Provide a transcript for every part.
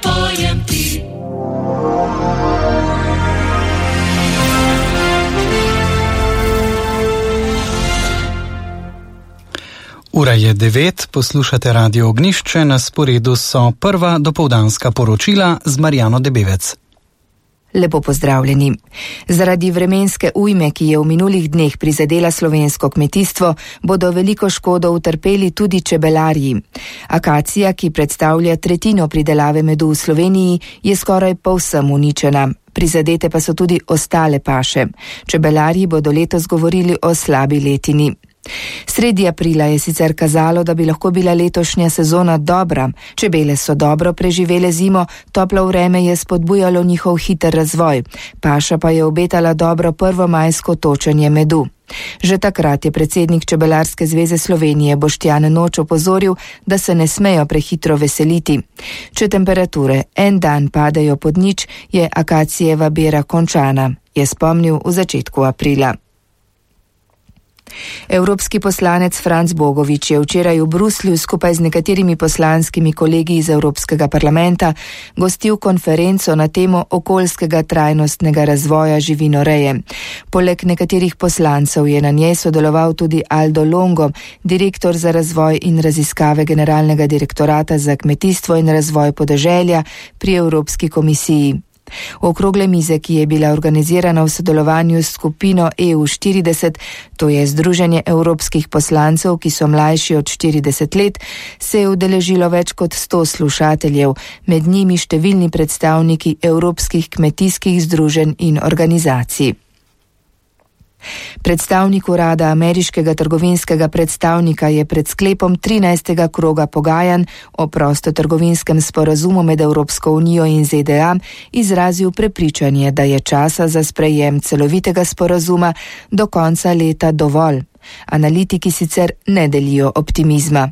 Pojem ti. Ura je 9, poslušate Radio Ognjišče, na sporedu so prva dopoldanska poročila z Marjano Debevec. Lepo pozdravljeni. Zaradi vremenske ujme, ki je v minulih dneh prizadela slovensko kmetijstvo, bodo veliko škodo utrpeli tudi čebelarji. Akacija, ki predstavlja tretjino pridelave medu v Sloveniji, je skoraj povsem uničena. Prizadete pa so tudi ostale paše. Čebelarji bodo letos govorili o slabi letini. Sredi aprila je sicer kazalo, da bi lahko bila letošnja sezona dobra. Čebele so dobro preživele zimo, toplo vreme je spodbujalo njihov hiter razvoj. Paša pa je obetala dobro prvomajsko točenje medu. Že takrat je predsednik Čebelarske zveze Slovenije Boštjan Noč opozoril, da se ne smejo prehitro veseliti. Če temperature en dan padejo pod nič, je akacijeva bera končana, je spomnil v začetku aprila. Evropski poslanec Franc Bogovič je včeraj v Bruslju skupaj z nekaterimi poslanskimi kolegi iz Evropskega parlamenta gostil konferenco na temo okoljskega trajnostnega razvoja živinoreje. Poleg nekaterih poslancev je na njej sodeloval tudi Aldo Longo, direktor za razvoj in raziskave Generalnega direktorata za kmetijstvo in razvoj podeželja pri Evropski komisiji. Okrogle mize, ki je bila organizirana v sodelovanju s skupino EU40, to je Združenje evropskih poslancev, ki so mlajši od 40 let, se je udeležilo več kot 100 slušateljev, med njimi številni predstavniki evropskih kmetijskih združenj in organizacij. Predstavnik urada ameriškega trgovinskega predstavnika je pred sklepom 13. kroga pogajanj o prostotrgovinskem sporazumu med Evropsko unijo in ZDA izrazil prepričanje, da je časa za sprejem celovitega sporazuma do konca leta dovolj. Analitiki sicer ne delijo optimizma.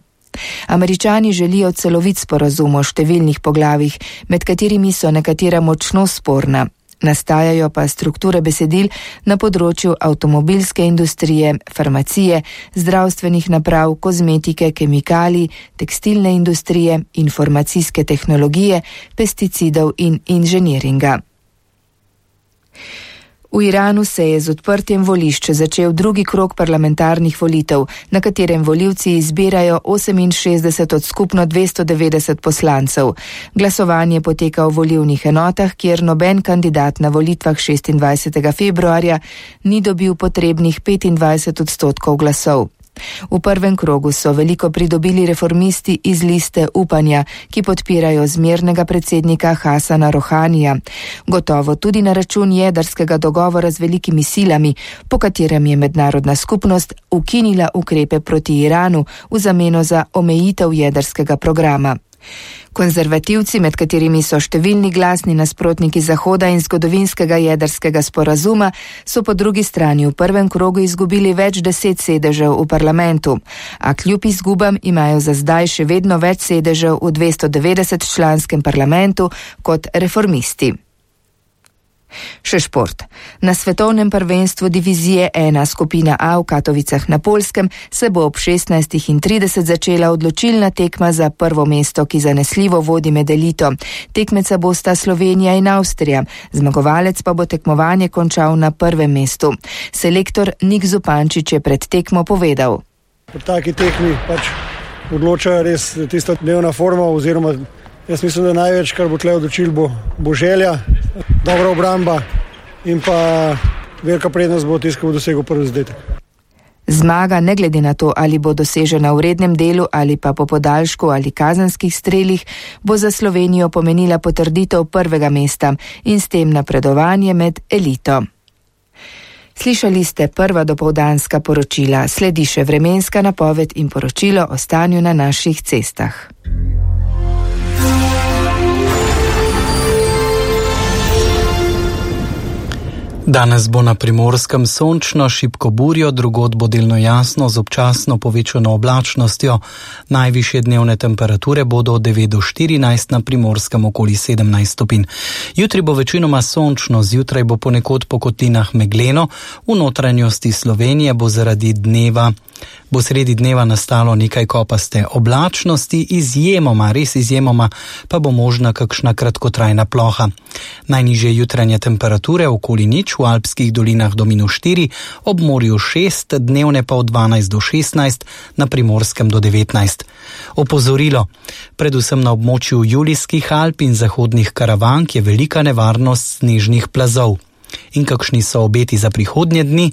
Američani želijo celovit sporazum o številnih poglavjih, med katerimi so nekatera močno sporna. Nastajajo pa strukture besedil na področju avtomobilske industrije, farmacije, zdravstvenih naprav, kozmetike, kemikalij, tekstilne industrije, informacijske tehnologije, pesticidov in inženiringa. V Iranu se je z odprtjem volišč začel drugi krog parlamentarnih volitev, na katerem volivci izbirajo 68 od skupno 290 poslancev. Glasovanje poteka v volilnih enotah, kjer noben kandidat na volitvah 26. februarja ni dobil potrebnih 25% glasov. V prvem krogu so veliko pridobili reformisti iz liste Upanja, ki podpirajo zmernega predsednika Hasana Rohanija. Gotovo tudi na račun jedrskega dogovora z velikimi silami, po katerem je mednarodna skupnost ukinila ukrepe proti Iranu v zameno za omejitev jedrskega programa. Konzervativci, med katerimi so številni glasni nasprotniki Zahoda in zgodovinskega jedrskega sporazuma, so po drugi strani v prvem krogu izgubili več 10 sedežev v parlamentu, a kljub izgubam imajo za zdaj še vedno več sedežev v 290-članskem parlamentu kot reformisti. Še šport. Na svetovnem prvenstvu divizije 1 skupina A v Katovicah na Poljskem se bo ob 16:30 začela odločilna tekma za prvo mesto, ki zanesljivo vodi med elito. Tekmeca bosta Slovenija in Avstrija, zmagovalec pa bo tekmovanje končal na prvem mestu. Selektor Nik Zupančič je pred tekmo povedal: V taki tekmi odločajo res tista dnevna forma, oziroma jaz mislim, da največ, kar bo tle odločil, bo želja, dobra obramba in pa velika prednost bo tisto, ki bo dosegel prvi zadetek. Zmaga, ne glede na to, ali bo dosežena v rednem delu ali pa po podaljšku ali kazenskih strelih, bo za Slovenijo pomenila potrditev prvega mesta in s tem napredovanje med elito. Slišali ste prva dopoldanska poročila, sledi še vremenska napoved in poročilo o stanju na naših cestah. Danes bo na Primorskem sončno, šibko burjo, drugod bo delno jasno z občasno povečano oblačnostjo. Najvišje dnevne temperature bodo od 9 do 14, na Primorskem okoli 17 stopinj. Jutri bo večinoma sončno, zjutraj bo ponekod po kotlinah megleno, v notranjosti Slovenije bo zaradi dneva Bo sredi dneva nastalo nekaj kopaste oblačnosti, izjemoma, res izjemoma, pa bo možna kakšna kratkotrajna ploha. Najnižje jutranje temperature okoli nič, v alpskih dolinah do -4, ob morju 6, dnevne pa od 12 do 16, na Primorskem do 19. Opozorilo, predvsem na območju Julijskih Alp in zahodnih Karavank je velika nevarnost snežnih plazov. In kakšni so obeti za prihodnje dni?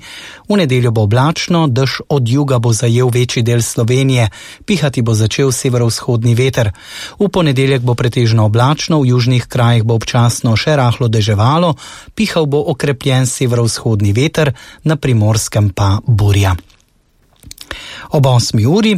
V nedeljo bo oblačno, dež od juga bo zajel večji del Slovenije, pihati bo začel severovzhodni veter. V ponedeljek bo pretežno oblačno, v južnih krajih bo občasno še rahlo deževalo, pihal bo okrepljen severovzhodni veter, na Primorskem pa burja. Ob 8. uri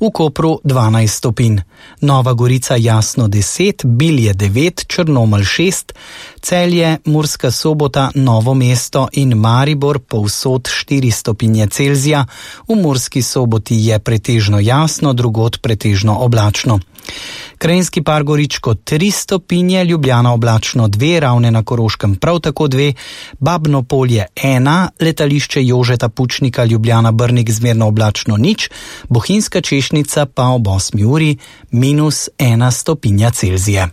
v Kopru 12 stopinj, Nova Gorica jasno 10, Bilje 9, Črnomelj 6, Celje, Murska Sobota, Novo mesto in Maribor povsod 4 stopinje Celzija, v Murski Soboti je pretežno jasno, drugod pretežno oblačno. Krajinski par Goričko 3 stopinje, Ljubljana oblačno 2, Ravne na Koroškem prav tako 2, Babno Polje 1, letališče Jožeta Pučnika Ljubljana Brnik zmerno oblačno 0, Bohinjska Češnica pa ob 8. uri -1 stopinja Celzija.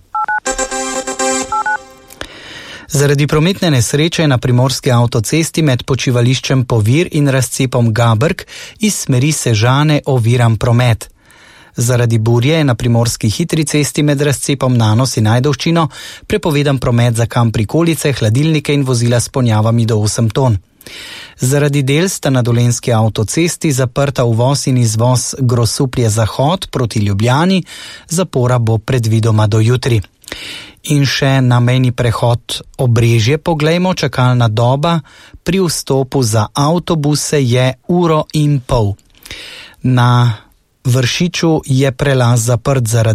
Zaradi prometne nesreče na primorski avtocesti med počivališčem Povir in razcepom Gabrk iz smeri Sežane oviran promet. Zaradi burje je na primorski hitri cesti med razcepom Nanos in Ajdovščino prepovedan promet za kam prikolice, hladilnike in vozila s ponjavami do 8 ton. Zaradi del sta na Dolenjski avtocesti zaprta uvoz in izvoz Grosuplje Zahod proti Ljubljani, zapora bo predvidoma do jutri. In še na mejni prehod Obrežje poglejmo, čakalna doba pri vstopu za avtobuse je 1,5 ure. Na Vršiču je prelaz zaprt zaradi